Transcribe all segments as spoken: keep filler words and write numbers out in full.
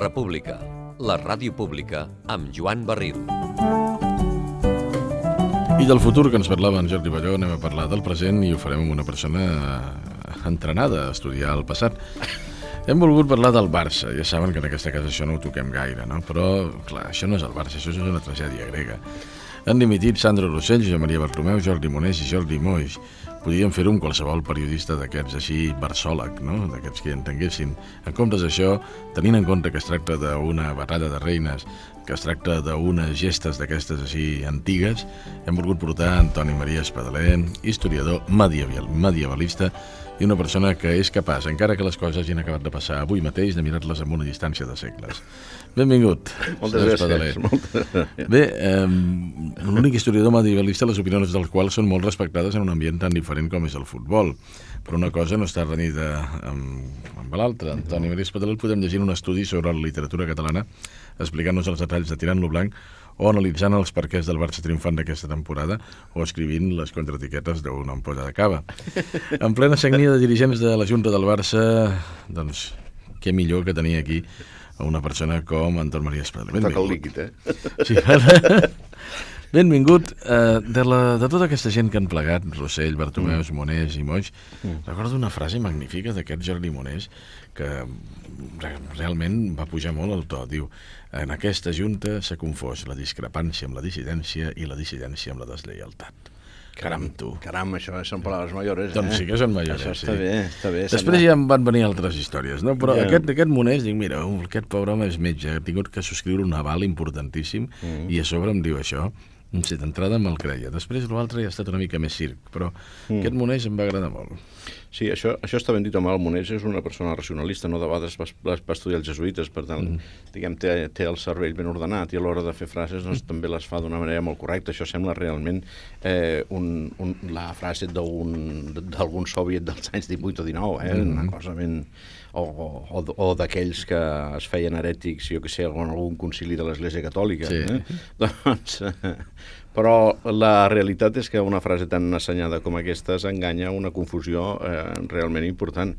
República, la ràdio pública, amb Joan Barril. I del futur que ens parlava en Jordi Balló, anem a parlar del present i ho farem amb una persona entrenada a estudiar el passat. Hem volgut parlar del Barça. Ja saben que en aquesta casa això no ho toquem gaire, no? Però, clar, això no és el Barça, això és una tragèdia grega. Han dimitit Sandro Rossell, Josep Maria Bartomeu, Jordi Monés i Jordi Moix. Podríem fer-ho amb qualsevol periodista d'aquests així barsòleg, no? D'aquests que hi entenguessin. En comptes d'això, tenint en compte que es tracta d'una batalla de reines, que es tracta d'unes gestes d'aquestes així antigues, hem volgut portar Antoni Maria Espadaler, historiador medieval, medievalista, i una persona que és capaç, encara que les coses hagin acabat de passar avui mateix, de mirar-les amb una distància de segles. Benvingut. Moltes gràcies. Moltes gràcies. Bé, eh, l'únic historiador medievalista, les opinions del qual són molt respectades en un ambient tan diferent com és el futbol. Però una cosa no està renyida amb, amb l'altra. Antoni Maria Espadaler, podem llegir un estudi sobre la literatura catalana, explicant-nos els detalls de Tirant-lo Blanc, o analitzant els perquès del Barça triomfant d'aquesta temporada, o escrivint les contraetiquetes d'una ampolla de cava. En plena sagnia de dirigents de la Junta del Barça, doncs, què millor que tenir aquí a una persona com Antoni Maria Espadaler. Toca el líquid, eh? Sí, benvingut. Uh, de, la, de tota aquesta gent que han plegat, Rossell, Bartomeu, mm. Monés i Moix, mm. recordo una frase magnífica d'aquest Jordi Monés que realment va pujar molt el to. Diu, en aquesta junta s'ha confós la discrepància amb la dissidència i la dissidència amb la deslleialtat. Caram, tu. Caram, això són paraules mayores, eh? Doncs sí que són mayores, això està sí. bé, està bé. Després ja em van venir altres històries, no? Però yeah. aquest, aquest Monés, dic, mira, aquest pobre home és metge, ha tingut que subscriure un aval importantíssim mm. i a sobre em diu això. Sí, d'entrada me'l creia. Després l'altre ja ha estat una mica més circ, però mm. aquest Monés em va agradar molt. Sí, això, això està ben dit amb el Monés, és una persona racionalista, no de vegades va, va estudiar els jesuïtes, per tant, mm. diguem, té, té el cervell ben ordenat i a l'hora de fer frases doncs, mm. també les fa d'una manera molt correcta. Això sembla realment eh, un, un, la frase d'algun soviet dels anys divuit o dinou, eh? Mm. Una cosa ben... o, o, o d'aquells que es feien herètics, jo que sé, en algun concili de l'Església Catòlica. Sí. Eh? Doncs, eh, però la realitat és que una frase tan assenyada com aquesta s'enganya una confusió eh, realment important.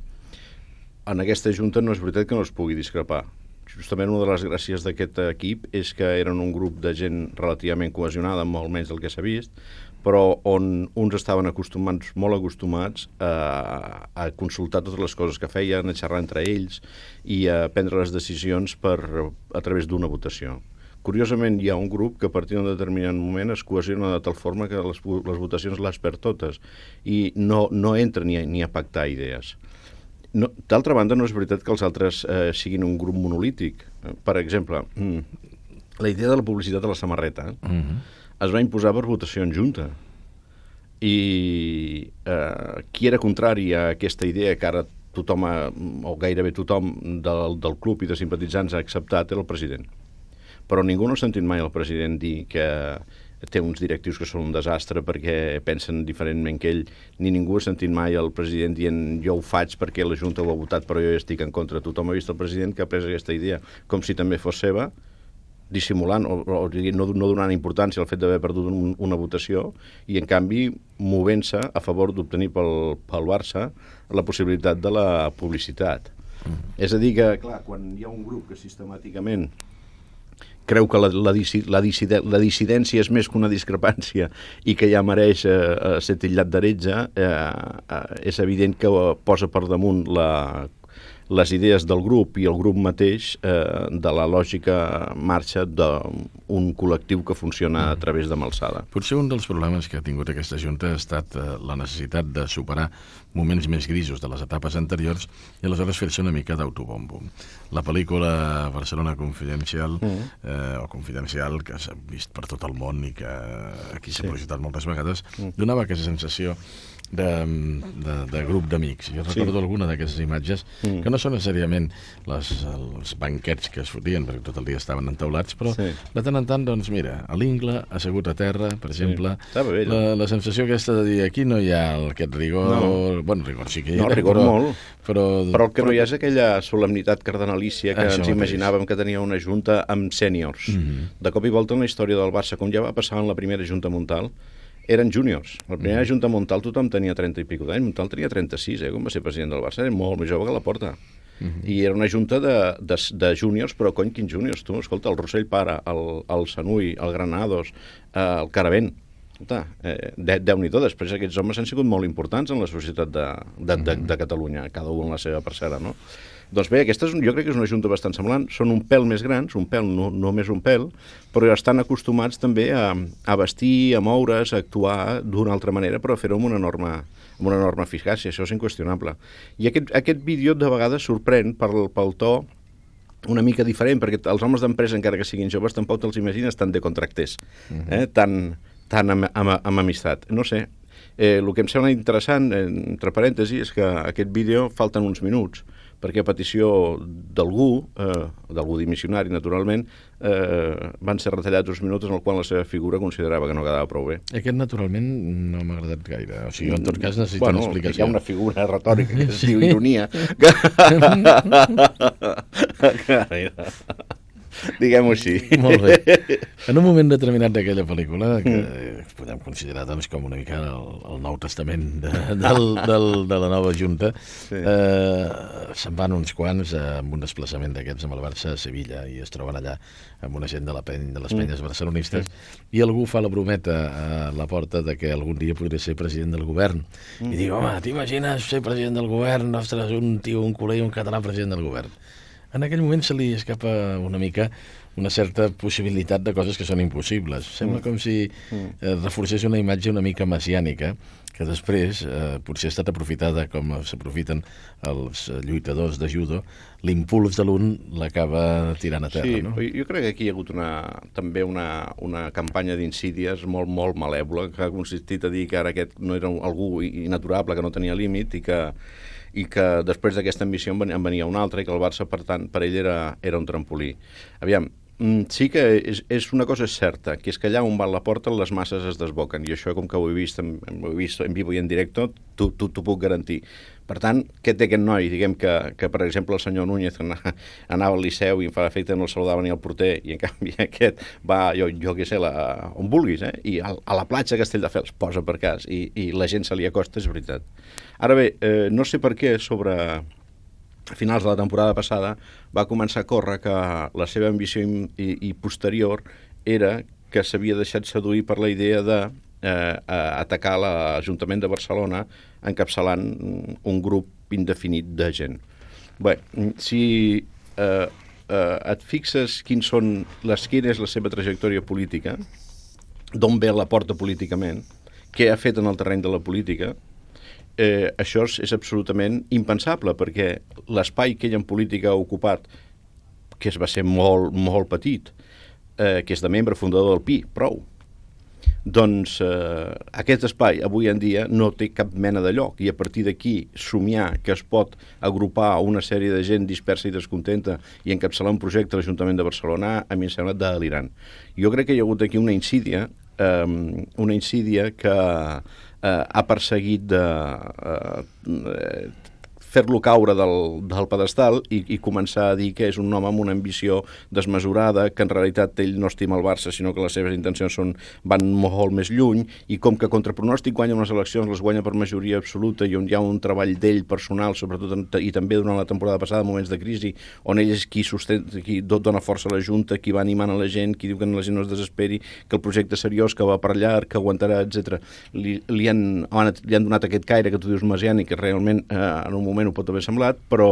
En aquesta junta no és veritat que no es pugui discrepar. Justament una de les gràcies d'aquest equip és que eren un grup de gent relativament cohesionada, molt menys del que s'ha vist, però on uns estaven acostumats, molt acostumats a, a consultar totes les coses que feien, a xerrar entre ells i a prendre les decisions per, a través d'una votació. Curiosament, hi ha un grup que a partir d'un determinat moment es cohesiona de tal forma que les, les votacions les perd totes i no, no entra ni a, ni a pactar idees. No, d'altra banda, no és veritat que els altres eh, siguin un grup monolític. Per exemple, la idea de la publicitat de la samarreta eh, mm-hmm. es va imposar per votació en junta. I eh, qui era contrari a aquesta idea que ara tothom, ha, o gairebé tothom del, del club i de simpatitzants ha acceptat, era el president. Però ningú no ha sentit mai el president dir que té uns directius que són un desastre perquè pensen diferentment que ell, ni ningú ha sentit mai el president dient jo ho faig perquè la Junta ho ha votat però jo ja estic en contra. Tothom ha vist el president que ha pres aquesta idea com si també fos seva, dissimulant o, o no, no donant importància al fet d'haver perdut un, una votació i en canvi movent-se a favor d'obtenir pel, pel Barça la possibilitat de la publicitat. Mm. És a dir que, clar, quan hi ha un grup que sistemàticament creu que la, la, la, la dissidència és més que una discrepància i que ja mereix eh, ser titllat d'heretge, eh, eh, és evident que posa per damunt la, les idees del grup i el grup mateix eh, de la lògica marxa d'un col·lectiu que funciona a través de Malsada. Potser un dels problemes que ha tingut aquesta Junta ha estat eh, la necessitat de superar moments més grisos de les etapes anteriors i aleshores fer-se una mica d'autobombo. La pel·lícula Barcelona Confidencial, mm. eh, o Confidencial, que s'ha vist per tot el món i que aquí s'ha sí. projectat moltes vegades, mm. donava aquesta sensació de, de, de grup d'amics. Jo recordo sí. alguna d'aquestes imatges mm. que no són necessàriament les, els banquets que es fotien, perquè tot el dia estaven entaulats, però sí. de tant en tant, doncs mira, a l'Ingle, assegut a terra, per exemple, sí. bé, la, la sensació aquesta de dir aquí no hi ha aquest rigor, no. bueno, rigor sí que hi ha, no, rigor però, molt. Però, però el que però... no hi ha és aquella solemnitat cardenalícia que Això ens imaginàvem mateix. Que tenia una junta amb sèniors. Mm-hmm. De cop i volta en la història del Barça, com ja va passar en la primera junta Montal, eren júniors. La primera mm-hmm. junta Montal tothom tenia trenta i pico d'anys, Montal tenia trenta-sis, eh, quan va ser president del Barça, era molt més jove que la Porta. Uh -huh. I era una junta de, de, de júniors, però cony, quins júniors, tu? Escolta, el Rossell Pare, el, el Sanui, el Granados, eh, el Caravent, escolta, eh, de, Déu-n'hi-do, després aquests homes han sigut molt importants en la societat de, de, de, de Catalunya, cada un en la seva parcel·la, no? Doncs bé, aquesta és, jo crec que és una junta bastant semblant, són un pèl més grans, un pèl, no, només un pèl, però estan acostumats també a, a vestir, a moure's, a actuar d'una altra manera, però a fer-ho amb una enorme, amb una enorme eficàcia, això és inqüestionable. I aquest, aquest vídeo de vegades sorprèn pel, pel to una mica diferent, perquè els homes d'empresa, encara que siguin joves, tampoc te'ls imagines tan de contracters, eh? tan, tan amb, amb, amb amistat. No sé, eh, el que em sembla interessant, entre parèntesis, és que aquest vídeo falten uns minuts, perquè a petició d'algú, eh, d'algú dimissionari, naturalment, eh, van ser retallats uns minuts en el qual la seva figura considerava que no quedava prou bé. Aquest, naturalment, no m'ha agradat gaire. O sigui, en tot cas, necessita bueno, una explicació. Hi ha una figura retòrica que es sí. diu ironia. Diguem-ho així. Molt bé. En un moment determinat d'aquella pel·lícula, que mm. podem considerar doncs, com una mica el, el Nou Testament de, del, del, de la nova Junta, sí. eh, se'n van uns quants amb un desplaçament d'aquests amb el Barça a Sevilla i es troben allà amb una gent de, la peny, de les penyes mm. barcelonistes mm. i algú fa la brometa a la porta de que algun dia podria ser president del govern. Mm. I diu, home, t'imagines ser president del govern? Ostres, un tio, un culer i un català president del govern. En aquell moment se li escapa una mica una certa possibilitat de coses que són impossibles. Sembla com si eh, reforcés una imatge una mica messiànica, que després eh, potser ha estat aprofitada com s'aprofiten els lluitadors de judo, l'impuls de l'un l'acaba tirant a terra. Sí, no? Jo crec que aquí hi ha hagut una, també una, una campanya d'insídies molt, molt malèvola, que ha consistit a dir que ara aquest no era algú inaturable, que no tenia límit i que i que després d'aquesta ambició en venia una altra i que el Barça, per tant, per ell era, era un trampolí. Aviam, sí que és, és una cosa és certa, que és que allà on va la porta les masses es desboquen, i això, com que ho he vist, ho he vist en vivo i en directe, t'ho puc garantir. Per tant, què té aquest noi? Diguem que, que per exemple, el senyor Núñez anava al Liceu i em fa l'efecte no el saludava ni el porter, i en canvi aquest va, jo, jo què sé, la, on vulguis, eh? I a, a la platja Castelldefels posa per cas, i, i la gent se li acosta, és veritat. Ara bé, eh, no sé per què sobre a finals de la temporada passada va començar a córrer que la seva ambició i, i, i posterior era que s'havia deixat seduir per la idea de eh, atacar l'Ajuntament de Barcelona encapçalant un grup indefinit de gent. Bé, si eh, eh, et fixes quins són les, quina és la seva trajectòria política, d'on ve la porta políticament, què ha fet en el terreny de la política, Eh, això és, és absolutament impensable, perquè l'espai que ell en política ha ocupat, que es va ser molt, molt petit, eh, que és de membre fundador del P I, prou, doncs eh, aquest espai avui en dia no té cap mena de lloc, i a partir d'aquí somiar que es pot agrupar una sèrie de gent dispersa i descontenta i encapçalar un projecte a l'Ajuntament de Barcelona, a mi em sembla delirant. Jo crec que hi ha hagut aquí una insídia, eh, una insídia que Uh, ha perseguit de uh, uh, fer-lo caure del, del pedestal i, i començar a dir que és un home amb una ambició desmesurada, que en realitat ell no estima el Barça, sinó que les seves intencions són, van molt més lluny, i com que contra pronòstic guanya unes eleccions, les guanya per majoria absoluta, i on hi ha un treball d'ell personal, sobretot i també durant la temporada passada, moments de crisi, on ell és qui sustenta, qui dona força a la Junta, qui va animant a la gent, qui diu que la gent no es desesperi, que el projecte seriós, que va per llarg, que aguantarà, etcètera. Li, li, han, li han donat aquest caire que tu dius mesiànic, que realment eh, en un moment ho pot haver semblat, però,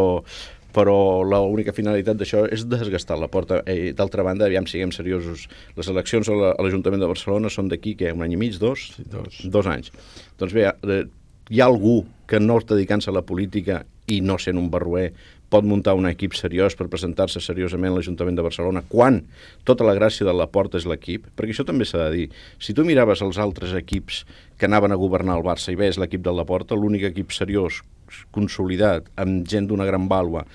però l'única finalitat d'això és desgastar la porta. Eh, D'altra banda, aviam, siguem seriosos, les eleccions a l'Ajuntament de Barcelona són d'aquí, què, un any i mig, dos? Sí, dos. Dos anys. Doncs bé, eh, hi ha algú que no dedicant-se a la política i no sent un barroer pot muntar un equip seriós per presentar-se seriosament a l'Ajuntament de Barcelona, quan tota la gràcia de la porta és l'equip, perquè això també s'ha de dir. Si tu miraves els altres equips que anaven a governar el Barça i veies l'equip de la porta, l'únic equip seriós, consolidat, amb gent d'una gran vàlua,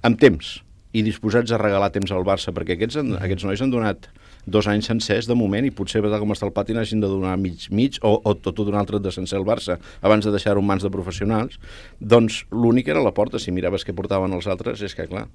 amb temps, i disposats a regalar temps al Barça, perquè aquests, aquests nois han donat dos anys sencers de moment, i potser, com està el pati, n'hagin de donar mig, mig, o, o tot un altre de sencer al Barça, abans de deixar-ho en mans de professionals. Doncs l'únic era la porta. Si miraves què portaven els altres, és que, clar,